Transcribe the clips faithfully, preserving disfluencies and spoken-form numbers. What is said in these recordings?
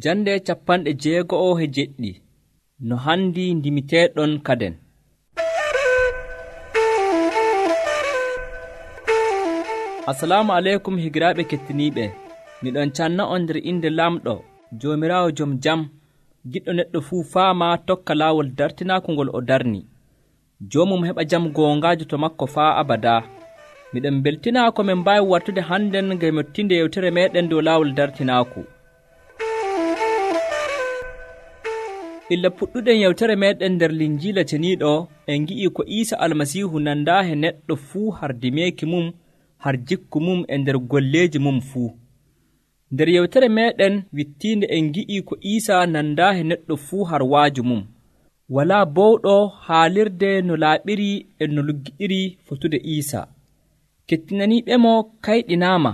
Jande capanɗe jeego'o he jeɗɗi no handi ndimiteeɗon kaden. Assalamu aleykum higiraaɓe kettiniiɓe. Miɗon canna on nder inde lamɗo Joomiraawo jom jam, giɗɗo neɗɗo fuu faama tokka laawol dartinaako ngol o darni. Joomum heɓa jam goongaajo to makko faa abadaa. Miɗon beltinaa ko min mbaawi wartude hannden ngam mettinde yewtere meeɗen dow laawol dartinaaku. Illa puɗɗuɗen yewtere meeɗen nder Linjiila ceniiɗo en ngi'ii ko Iisa Almasiihu nandaa he neɗɗo fuu har dimeeki mum, har jikku mum e nder golleeji mum fuu. Nder yewtere meeɗen wittiinde en ngi'ii ko Iisa nandaa he neɗɗo fuu har waaju mum. Walaa bowɗo haalirde no laaɓiri e no luggiɗiri fotude Iisa. Kettinaniiɓemo kayɗinaama,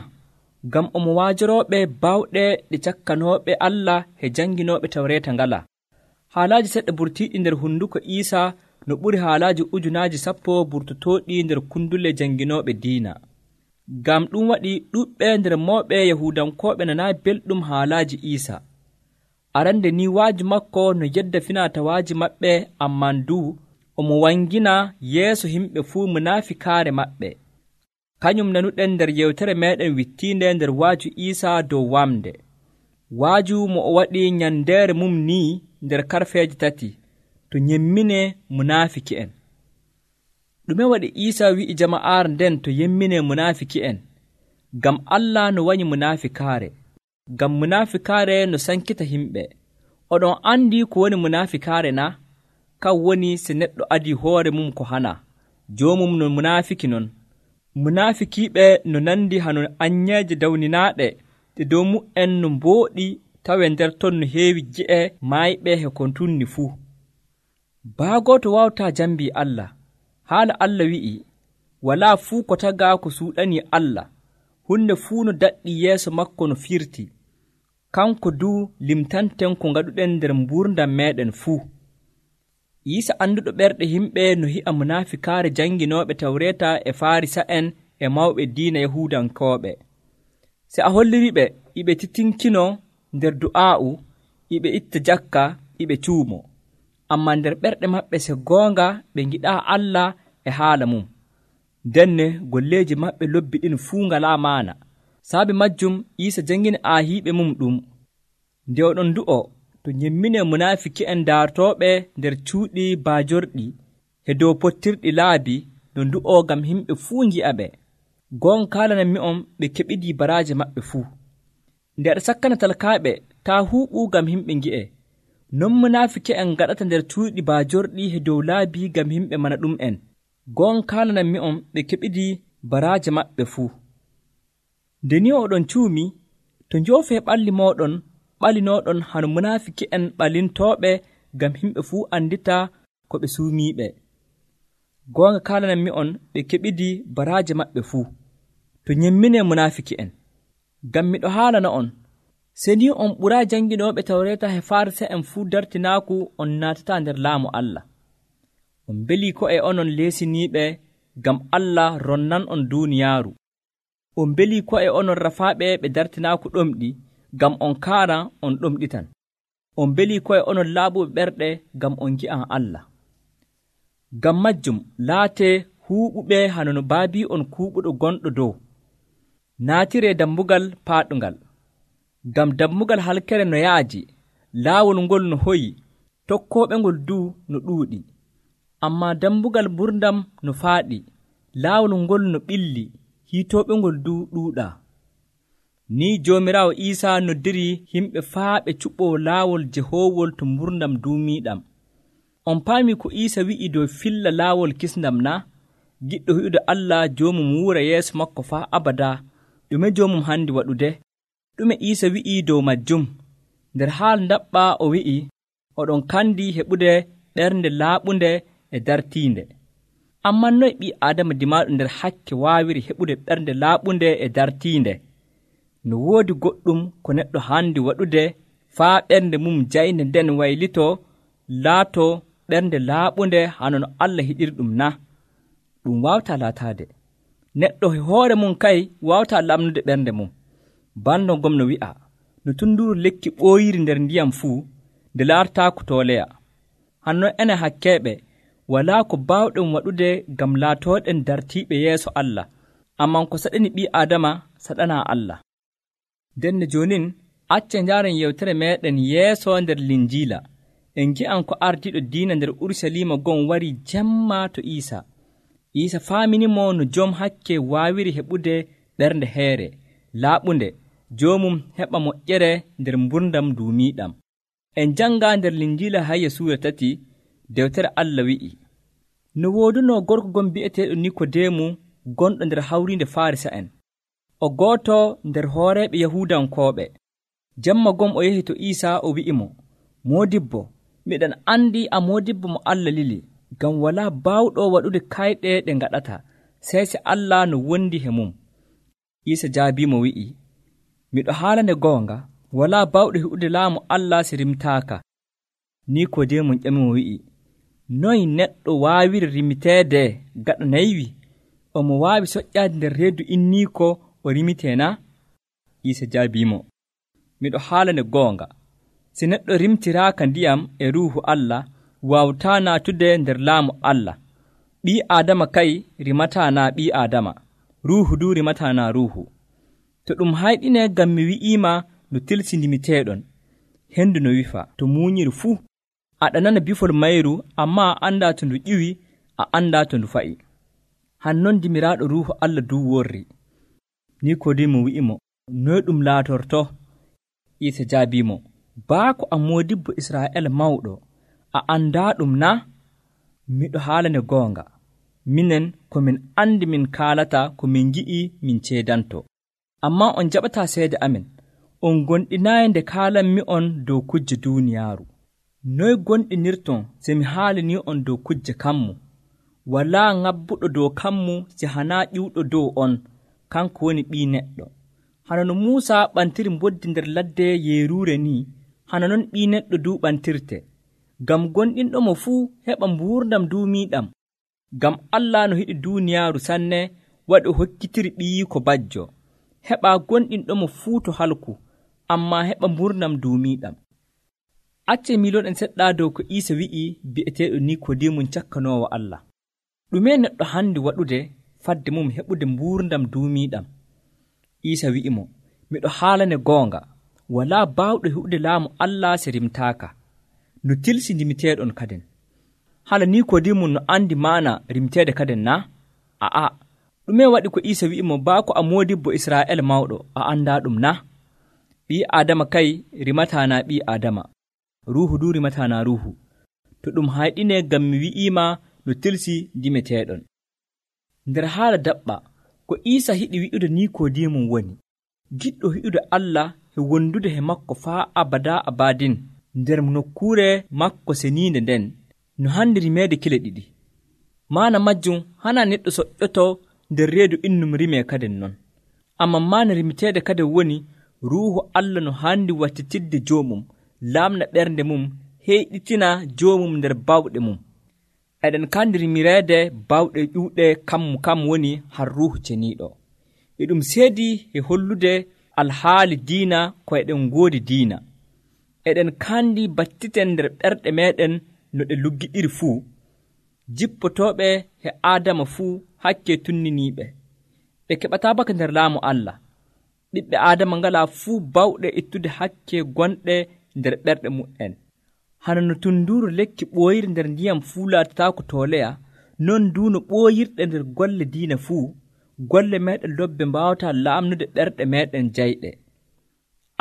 ngam omo waajorooɓe baawɗe ɗe cakkanooɓe Allah he jannginooɓe Tawreeta ngala. Haalaaji seɗɗa burtiiɗi nder hunduko Iisa no ɓuri haalaaji ujunaaji sappo burtotooɗi nder kundule jannginooɓe diina. Ngam ɗum waɗi ɗuuɗɓe nder mawɓe Yahuudankooɓe nanaayi belɗum haalaaji Iisa. Arande ni waaji makko no yedda finatawaaji maɓɓe, amman duu omo wangina yeeso yimɓe fuu munafikaare maɓɓe. Kañum nanuɗen nder yewtere meeɗen wittiinde nder waaju Iisa dow wamde. Waaju mo o waɗi nyandeere mum ni nder karfeeje tati to nyemmine munafiki'en. Ɗume waɗi Iisa wi'i jama'aare nden to yemmine munafiki'en? Ngam Allah no wanyi munafikaare. Ngam munafikaare no sankita himɓe. Oɗon andi ko woni munafikaare na? Kan woni se neɗɗo adi hoore mum ko hana. Joomum no munafiki non. Munafikiiɓe no nandi hano anyeeje dawninaaɗe ɗe dow mu'en no mbooɗi tawe nder ton no heewi gi'e maayɓe he ko tunni fuu. Baagooto wawtaa jambii Allah. Haala Allah wi'i, walaa fuu ko tagaa ko suuɗanii Allah. Hunde fuu no daɗɗi yeeso makko no firti. Kanko duu limtanten ko ngaɗuɗen nder mbuurdam meeɗen fuu. Iisa annduɗo ɓerɗe yimɓe no hi'a munafikaare jannginooɓe Tawreeta e Faarisa'en e mawɓe diina Yahuudankooɓe. Se a holliriɓe, iɓe titinkino nder du'aa'u, iɓe itta jakka, iɓe cuumo. Ammaa nder ɓerɗe maɓɓe se goonga ɓe ngiɗaa Allah e haala mum. Denne golleeji maɓɓe lobbiɗin fuu ngalaa maana. Saabi majjum Iisa janngini aahiiɓe mum ɗum. Nde oɗon du'o, to nyemmine munafiki'en daartooɓe nder cuuɗi baajorɗi he dow pottirɗi laabi no ndu'o ngam yimɓe fuu ngi'a ɓe. Gon kaalananmi'on ɓe keɓidii baraaje maɓɓe fuu. Nde aɗa sakkana talkaaɓe taa huuɓu ngam yimɓe ngi'e. Non munafiki'en ngaɗata nder cuuɗi baajorɗi he dow laabi ngam yimɓe mana ɗum'en. Gon kaalananmi'on ɓe keɓidii baraaje maɓɓe fuu. Nde ni oɗon cuumi, to njoofee ɓalli mooɗon ɓalinooɗon hano munafiki'en ɓalintooɓe ngam yimɓe fuu andita ko ɓe suumiiɓe. Goonga kaalananmi'on ɓe keɓidii baraaje maɓɓe fuu. To nyemmine munafiki'en. Ngam miɗo haalana on, se ni on ɓuraa jannginooɓe Tawreeta he Faarisa'en fuu dartinaaku on naatataa nder laamu Allah. On mbelii ko'e onon leesiniiɓe ngam Allah ronnan on duuniyaaru. On mbelii ko'e onon rafaaɓe ɓe dartinaaku ɗomɗi ngam on kaara on ɗomɗitan. On mbelii ko'e onon laaɓuɓe ɓerɗe ngam on ngi'an Allah. Ngam majjum laatee huuɓuɓe hano no baabii on kuuɓuɗo gonɗo dow. Naatiree dammugal paaɗungal. Ngam dammugal halkere no yaaji, laawol ngol no hoyi, tokkooɓe ngol duu no ɗuuɗi. Ammaa dammugal mburdam no faaɗi, laawol ngol no ɓilli, hiitooɓe ngol duu ɗuuɗaa. Ni Joomiraawo Iisa noddiri yimɓe faa ɓe cuɓɓoo laawol jehoowol to mburdam duumiiɗam. On paami ko Iisa wi'i dow filla laawol kisndam na? Giɗɗo hi'ude Allah joomum wuura yeeso makko faa abadaa. Ɗume joomum handi waɗude? Ɗume Iisa wi'i dow majjum? Nder haal ndaɓɓa o wi'i, oɗon kandi heɓude ɓernde laaɓunde e dartiinde. Amman noy ɓii Aadama dimaaɗo nder hakke waawiri heɓude ɓernde laaɓunde e dartiinde? No woodi goɗɗum ko neɗɗo handi waɗude faa ɓernde mum jayne nden waylitoo laatoo ɓernde laaɓunde hano no Allah hiɗirɗum na? Ɗum waawtaa laataade. Neɗɗo e hoore mum kay waawtaa lamnude ɓernde mum. Bando gom no wi'a, no tunduru lekki ɓooyiri nder ndiyam fuu nde laartaako tooleya. Hannon enen hakkeeɓe walaa ko baawɗen waɗude ngam laatooɗen dartiiɓe yeeso Allah, amman ko saɗani ɓii Aadama saɗanaa Allah. Ndenne joonin acce njaaren yewtere meeɗen yeeso nder Linjiila. En ngi'an ko ardiiɗo diina nder Urusalima gon warii jemma to Iisa. Iisa faaminimo no jom hakke waawiri heɓude ɓernde heere laaɓunde, joomum heɓa moƴƴere nder mburdam duumiiɗam. En janngaa nder Linjiila Hayya suura tati, dewtere Allah wi'i, no woodunoo gorko gon bi'eteeɗo Nikodeemu gonɗo nder hawriinde Faarisa'en, o gooto nder hooreeɓe Yahuudankooɓe. Jemma gom o yehi to Iisa o wi'imo, Moodibbo, miɗen anndi a moodibbo mo Allah lili, ngam walaa baawɗo waɗude kayɗe ɗe ngaɗata, sey se Allah no wondi he mum. Iisa jaabiimo wi'i, miɗo haalande goonga, walaa baawɗo heɓude laamu Allah si rimtaaka. Nikodeemu ƴamimo wi'i, noye neɗɗo waawiri rimiteede gaɗa naywi? Omo waawi soƴƴaade nder reedu inniiko o rimitee na? Iisa jaabiimo, miɗo haalande goonga, si neɗɗo rimtiraaka ndiyam e ruuhu Allah, waawataa naatude nder laamu Allah. Ɓii Aadama kay rimataa naa ɓii Aadama, ruuhu duu rimataa naa ruuhu. To ɗum hayɗinee ngam mi wi'iima no tilsindimiteeɗon, henndu no wifa to muunyiri fuu. Aɗa nana bifol mayru, ammaa a anndaa to ndu ƴiwi, a anndaa to ndu fa'i. Hannon dimiraaɗo ruuhu Allah duu worri. Nikodeemu wi'imo, noye ɗum laatorto? Iisa jaabiimo, baako a moodibbo Israa'eela mawɗo, a anndaa ɗum na? Miɗo haalane goonga, minen ko min anndi min kaalata ko min ngi'i min ceedanto. Ammaa on jaɓataa seede amin, on gonɗinaayi nde kaalanmi on dow kujje duuniyaaru. Noye gonɗinirton se mi haalanii on dow kujje kammu? Walaa ŋabbuɗo dow kammu si hanaa ƴiwɗo dow on, kanko woni Ɓii Neɗɗo. Hana no Muusa ɓantiri mboddi nder ladde yeeruure ni, hana non Ɓii Neɗɗo duu ɓantirte, ngam gonɗinɗo mo fuu heɓa mbuurdam duumiiɗam. Ngam Allah no yiɗi duuniyaaru sanne waɗi o hokkitiri ɓiyiiko bajjo, heɓaa gonɗinɗo mo fuu to halku, ammaa heɓa mbuurdam duumiiɗam. Acce miiloɗen seɗɗa dow ko Iisa wi'i bi'eteeɗo Nikodeemu cakkanoowo Allah. Ɗume neɗɗo handi waɗude fadde mum heɓude mbuurdam duumiiɗam? Iisa wi'imo, miɗo haalane goonga, walaa baawɗo heɓude laamu Allah se rimtaaka. No tilsindimiteeɗon kaden. Hala Nikodeemu no andi maana rimteede kaden na? A'a, ɗume waɗi ko Iisa wi'imo baako a moodibbo Israa'eela mawɗo, a anndaa ɗum na? Ɓii Aadama kay rimataa naa ɓii Aadama, ruuhu duu rimataa naa ruuhu. To ɗum hayɗinee ngam mi wi'iima no tilsi dimeteeɗon. Nder haala daɓɓa ko Iisa hiɗi wi'ude Nikodeemu woni, giɗɗo hi'ude Allah e wondude he makko faa abada abadin nder nokkuure makko seniinde nden, no handi rimeede kile ɗiɗi. Maana majjum hana neɗɗo soƴƴoto nder reedu innum rimee kaden non. Amman maana rimiteede kaden woni ruuhu Allah no handi wattitirde joomum, laamna ɓernde mum, heyɗitina joomum nder bawɗe mum. Eɗen kandi rimireede bawɗe ƴuuɗe kammu kam woni har ruuhu ceniiɗo. E ɗum seedi e hollude alhaali diina ko eɗen ngoodi diina. Eɗen kandi battiten nder ɓerɗe meɗen no ɗe luggiɗiri fuu, jippotooɓe he Aadama fuu hakke tunniniiɓe. Ɓe keɓataa baka nder laamu Allah. Ɓiɓɓe Aadama ngalaa fuu bawɗe ittude hakke gonɗe nder ɓerɗe mu'en. Hana no tunduru lekki ɓooyiri nder ndiyam fuu laatataako tooleya, non duu no ɓooyirɗe nder golle diina fuu, golle meɗen lobbe mbaawataa laamnude ɓerɗe meɗen jayɗe.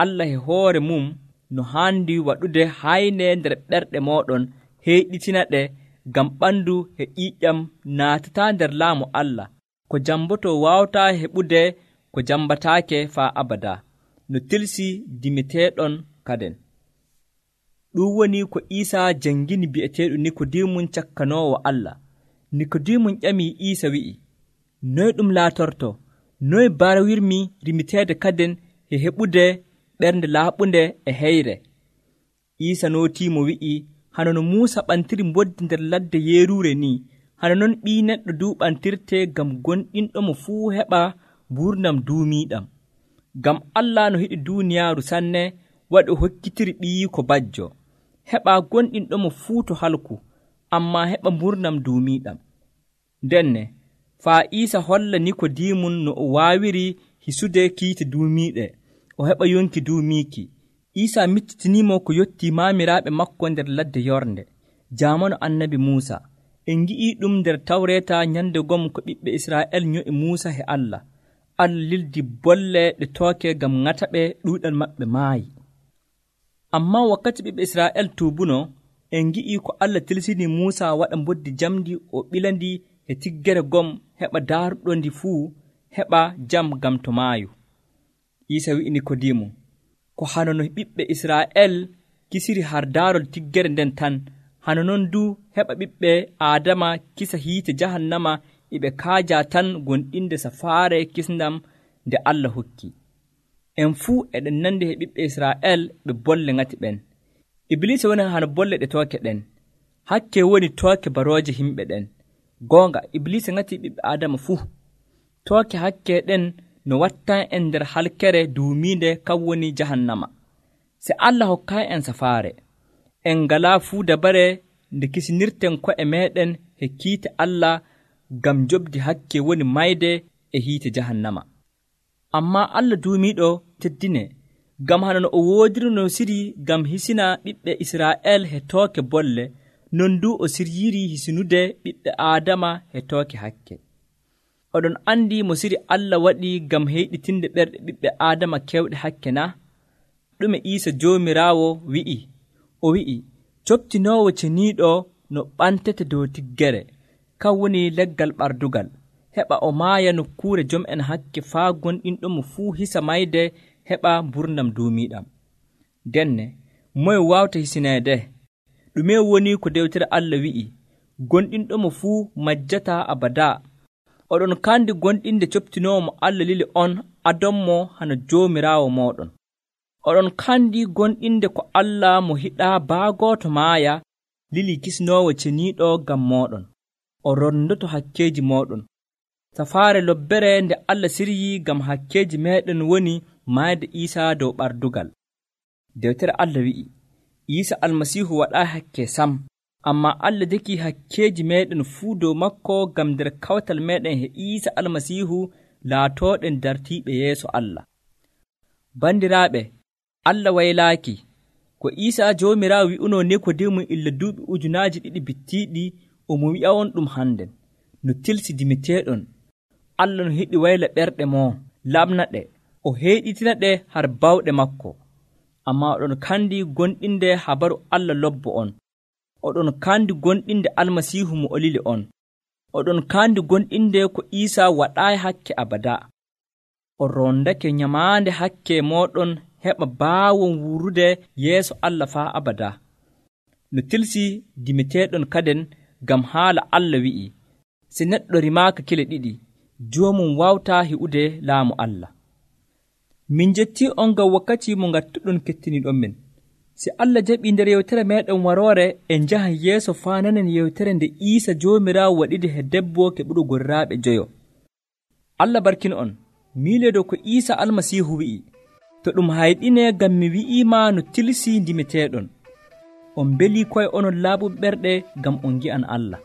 Allah e hoore mum no haandi waɗude hayne nder ɓerɗe mooɗon heyɗitina ɗe, ngam ɓandu e ƴiiƴam naatataa nder laamu Allah, ko jamboto waawataa heɓude ko jambataake faa abada, no tilsi dimeteeɗon kaden. Ɗum woni ko Iisa jangini bi'eteeɗo Nikodeemu cakkanoowo Allah. Nikodeemu ƴamii Iisa wi'i, noye ɗum laatorto? Noye barawirmi rimiteede kaden e heɓude ɓernde laaɓunde e heyre? Iisa nootiimo wi'i, hana no Muusa ɓantiri mboddi nder ladde yeeruure ni, hana non Ɓii Neɗɗo duu ɓantirte ngam gonɗinɗo mo fuu heɓa mbuurnam duumiiɗam. Ngam Allah no hiɗi duuniyaaru sanne waɗi o hokkitiri ɓiyiiko bajjo, heɓaa gonɗinɗomo fuu to halku, ammaa heɓa mburnam duumiiɗam. Ndenne faa Iisa holla Nikodiimun no o waawiri hisude kiite duumiiɗe, o heɓa yonki duumiiki. Iisa miccitiniimo ko yottii maamiraaɓe makko nder ladde yornde, jaamanu annabi Muusa. En ngi'ii ɗum nder Tawreeta nyande gom ko ɓiɓɓe Israa'el nyo'i Muusa he Allah. Allah lildi bolle ɗe tooke ngam ŋataɓe ɗuuɗal maɓɓe maayi. Ammaa wakkati ɓiɓɓe Israa'el tuubuno, en ngi'ii ko Allah tilsini Muusa waɗa mboddi jamdi o ɓilandi e tiggere gom heɓa daaruɗo ndi fuu heɓa jam gam to maayu. Iisa wi'i Nikodimu, ko hano no ɓiɓɓe Israa'el kisiri har daarol tiggere nden tan, hano non du heɓa ɓiɓɓe Aadama kisa hiite jahannama iɓe kaaja tan gonɗinde safaare kisndam nde Allah hokki. En fuu eɗen nandi he ɓiɓɓe Israa'el ɓe bolle ŋati ɓen. Iblisa woni hano bolle ɗe tooke ɗen, hakke woni tooke barooje himɓe ɗen. Goonga Iblisa ŋati ɓiɓɓe Aadama fuu. Tooke hakke ɗen no wattan en nder halkere duumiinde kan woni jahannama. Se Allah hokkayi en safaare, en ngalaa fuu dabare nde kisinirten ko'e meɗen he kiite Allah ngam jobdi hakke woni mayde e hiite jahannama. Ammaa Allah duumiiɗo teddine, ngam hano no o woodirino siri ngam hisina ɓiɓɓe Israa'el he tooke bolle, non du o siryiri hisinude ɓiɓɓe Aadama he tooke hakke. Oɗon andi mo siri Allah waɗi ngam heyɗitinde ɓerɗe ɓiɓɓe Aadama kewɗe hakke na? Ɗume Iisa Joomiraawo wi'i? O wi'i, coptinoowo ceniiɗo no ɓantete dow tiggere, kan woni leggal ɓardugal, heɓa o maaya nokkuure jom'en hakke faa gonɗinɗomo fuu hisa mayde heɓa mburnam duumiiɗam. Denne, moye waawta hisineede? Ɗume woni ko dewtere Allah wi'i, gonɗinɗomo fuu majjataa abadaa. Oɗon kandi gonɗinde coptinoowo mo Allah lili on adonmo hano Joomiraawo mooɗon. Oɗon kandi gonɗinde ko Allah mo hiɗaa baagooto maaya lili kisnoowo ceniiɗo ngam mooɗon. O rondoto hakkeeji mooɗon. Safaare lobbere nde Allah siryii ngam hakkeeji meeɗen woni maayde Iisa dow ɓardugal. Dewtere Allah wi'i, Iisa Almasiihu waɗaa hakke sam, ammaa Allah deki hakkeeji meeɗen fuu dow makko ngam nder kawtal meeɗen he Iisa Almasiihu laatooɗen dartiiɓe yeeso Allah. Bandiraaɓe, Allah waylaaki ko Iisa Joomiraawo wi'unoo Nikodimu illa duuɓi ujunaaji ɗiɗi bittiiɗi, omo wi'a on ɗum hannden. No tilsi dimiteeɗon, Allah no hiɗi wayla ɓerɗe moo, lamna ɗe, o heyɗitina ɗe har bawɗe makko. Ammaa oɗon kandi gonɗinde habaru Allah lobbo on. Oɗon kandi gonɗinde Almasiihu mo o lili on. Oɗon kandi gonɗinde ko Iisa waɗaayi hakke abada. O rondake nyamaande hakke mooɗon heɓa baawon wurude yeeso Allah faa abada. No tilsi dimiteeɗon kaden ngam haala Allah wi'i, se neɗɗo rimaaka kile ɗiɗi, joomum wawtaa hi'ude laamu Allah. Min jettii on ngam wakkati mo ngattuɗon kettiniɗon men. Si Allah jaɓii nder yewtere meeɗen waroore, en njahan yeeso faa nanen yewtere nde Iisa Joomiraawo waɗide he debbo keɓuɗo gorraaɓe joyo. Allah barkino on, miileedo ko Iisa Almasiihu wi'i, to ɗum hayɗine ngam mi wi'iima no tilsi ndimeteeɗon. On mbelii koye onon laaɓuɓe ɓerɗe ngam on ngi'an Allah.